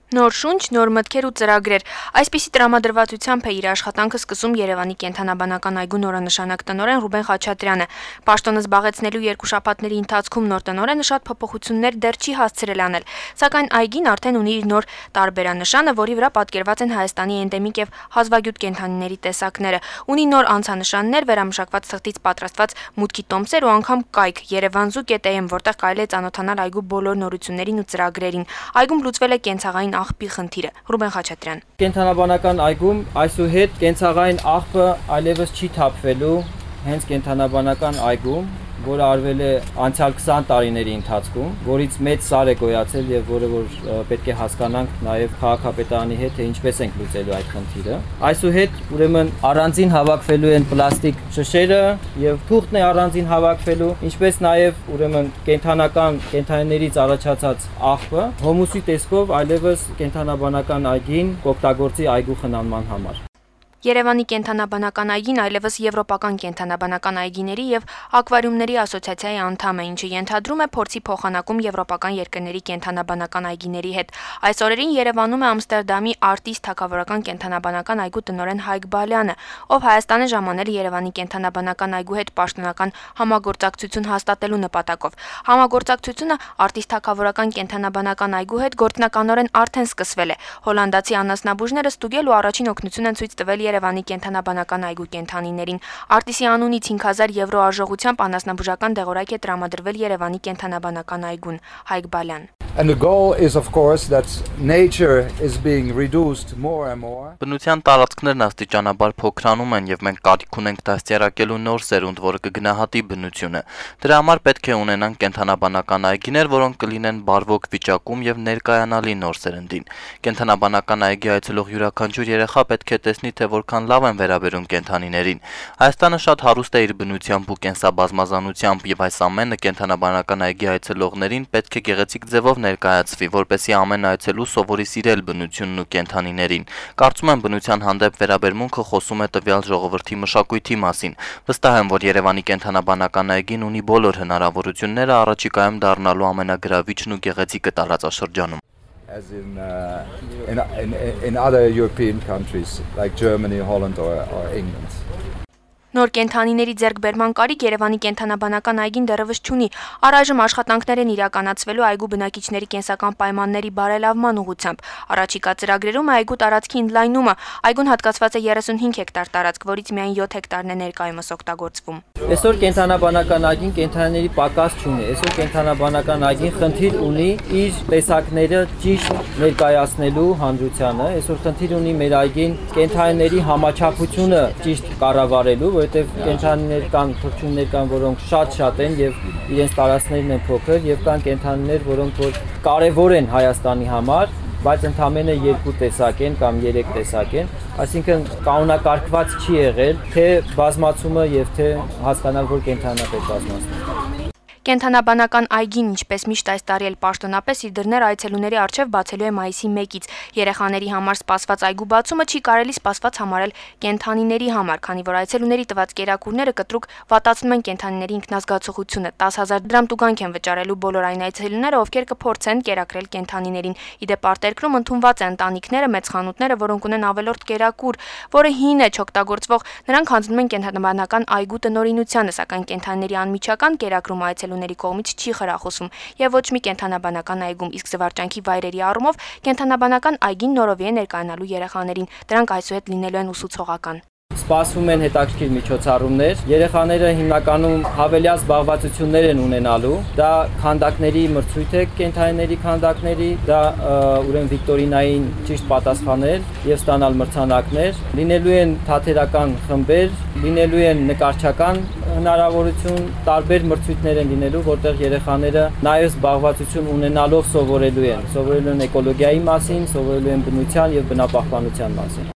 Նոր շունչ, նոր մտքեր ու ծրագրեր։ Այսպիսի տրամադրվածությամբ է իր աշխատանքը սկսում Երևանի կենդանաբանական այգու նորանշանակ տնօրեն Ռուբեն Խաչատրյանը։ Պաշտոնը զբաղեցնելու 2 շաբաթների ընթացքում նոր տնօրենը շատ փոփոխություններ դեռ չի հասցրել անել, սակայն այգին արդեն ունի իր նոր տարբերանշանը, որի վրա պատկերված են Հայաստանի էնդեմիկ եւ հազվագյուտ կենդանիների տեսակները։ Ունի նոր անցանշաններ, վերամշակված թղթից պատրաստված մուտքի տոմսեր ու անգամ կայք Երևանզու.am, որտեղ կարելի է ծանոթանալ այգու բոլոր նորություններին ու ծրագրերին։ Այգում լուծվել է կենցաղային աղբի խնդիրը։ Ռուբեն Խաչատրյան։ Կենդանաբանական այգում այսուհետ կենցաղային աղբը այլևս չի թափվելու հենց կենդանաբանական այգում, որը արվել է անցյալ 20 տարիների ընթացքում, որից մեծ սար է գոյացել եւ որը որ պետք է հասկանանք նաեւ քաղաքապետարանի հետ թե ինչպես ենք լուծելու այդ խնդիրը։ Այսուհետ ուրեմն առանձին հավաքվելու են պլաստիկ շշերը եւ թուղթն է առանձին հավաքվելու, ինչպես նաեւ ուրեմն կենդանիներից առաջացած աղբը հոմուսի տեսքով այլևս կենդանաբանական այգին կօգտագործի այգու խնամման համար։ Երևանի կենդանաբանական այգին այլևս Եվրոպական կենդանաբանական այգիների եւ ակվարիումների ասոցիացիայի անդամ է, ինչը ենթադրում է փորձի փոխանակում եվրոպական երկրների կենդանաբանական այգիների հետ։ Այս օրերին Երևանում է Ամստերդամի Արտիստ թագավորական կենդանաբանական այգու տնօրեն Հայկ Բալյանը, ով Հայաստան է ժամանել Երևանի կենդանաբանական այգու հետ պաշտոնական համագործակցություն հաստատելու նպատակով։ Համագործակցությունը Արտիստ թագավորական կենդանաբանական այգու հետ գործնականորեն արդեն սկսվել է։ Հոլանդացի անասնաբուժները ստուգել ու առաջին օգնություն են ցույց տվել Երևանի կենդանաբանական այգու կենդանիներին։ Արտիսի անունից 5000 եվրո արժողությամբ անասնաբուժական դեղորայք է տրամադրվել Երևանի կենդանաբանական այգուն։ Հայկ Բալյան։ And the goal is of course that nature is being reduced more and more. Բնության տարածքներն աստիճանաբար փոքրանում են եւ մենք կարիք ունենք դաստիարակելու նոր սերունդ, որը կգնահատի բնությունը։ Դրա համար պետք է ունենանք կենդանաբանական այգիներ, որոնք կլինեն բարվոք վիճակում եւ ներկայանալի նոր սերնդին։ Կենդանաբանական այգի այցելող յուրաքանչյուր երեխա պետք է տեսնի, թե որքան լավ են վերաբերում կենդանիներին։ Հայաստանը շատ հարուստ է իր բնությամբ ու կենսաբազմազանությամբ եւ այս ամենը կենդանաբանական այգի այցելողներին պետք է գեղեցիկ ձևով ներկայացվի, որպեսզի ամեն այցելու սովորի սիրել բնությունն ու կենդանիներին։ Կարծում եմ բնության հանդեպ վերաբերմունքը խոսում է տվյալ ժողովրդի մշակույթի մասին։ Վստահ եմ, որ Երևանի կենդանաբանական այգին ունի բոլոր հնարավորությունները առաջիկայում դառնալու ամենագրավիչն ու գեղեցիկը տարածաշրջանում։ As in other European countries like Germany, Holland or England. Նոր կենդանիների ձեռքբերման կարիք Երևանի կենդանաբանական այգին դեռևս չունի։ Առայժմ աշխատանքներ են իրականացվելու այգու բնակիչների կենսական պայմանների բարելավման ուղղությամբ։ Առաջիկա ծրագրերում է այգու տարածքի ընդլայնումը։ Այգուն հատկացված է 35 հեկտար տարածք, որից միայն 7 հեկտարն է ներկայումս օգտագործվում։ Այսօր կենդանաբանական այգին կենդանիների պակաս չունի։ Այսօր կենդանաբանական այգին խնդիր ունի իր տեսակները ճիշտ ներկայացնելու հանրությանը։ Այսօր խնդիր ունի մեր այգին կենդանիների համաչափությունը ճիշտ կառավարելու, որովհետև կենդանիներ կան, թռչուններ կան, որոնք շատ են եւ իրենց տարածքներն են փոքր եւ կան կենդանիներ, որոնք որ կարեւոր են Հայաստանի համար, բայց ընդամենը 2 տեսակ են կամ 3 տեսակ են, այսինքն կանոնակարգված չի եղել թե բազմացումը եւ թե հասկանալ, որ կենդանիա պետք բազմացնել։ Կենդանաբանական այգին, ինչպես միշտ այս տարի էլ պաշտոնապես իր դռները այցելուների առջև բացելու է մայիսի 1-ից։ Երեխաների համար սպասված այգու բացումը չի կարելի սպասված համարել կենդանիների համար, քանի որ այցելուների տված կերակուրները կտրուկ վատացնում են կենդանիների ինքնազգացողությունը։ 10,000 դրամ տուգանք են վճարելու բոլոր այն այցելուները, ովքեր կփորձեն կերակրել կենդանիներին։ Իդեպ արտերկրում ընդունված է ընտանիքները, մեծ խանութները, որոնք ունեն ավելորդ կերակուր, որը հին է, չօգտագործվող, նրանք հանձնում են կենդանաբանական այգու տնօրինությանը, սակայն կենդանիների անմիջական կերակրում այցելուների կողմից չի խրախուսվում եւ ոչ մի կենդանաբանական այգում, իսկ զվարճանքի վայրերի առումով կենդանաբանական այգին նորովի է ներկայանալու երեխաներին։ Դրանք այսուհետ լինելու են ուսուցողական։ Սպասվում են հետաքրքիր միջոցառումներ։ Երեխաները հիմնականում հավելյալ զբաղվածություններ են ունենալու։ Դա քանդակների մրցույթ է, կենդանիների քանդակների, դա ուրեմն վիկտորինային ճիշտ պատասխանել եւ ստանալ մրցանակներ։ Լինելու են թատերական խմբեր, լինելու են նկարչական հնարավորություն, տարբեր մրցույթներ են լինելու, որտեղ երեխաները նաեւ զբաղվածություն ունենալով սովորելու են էկոլոգիայի մասին, սովորելու են բնության եւ բնապահպանության մասին։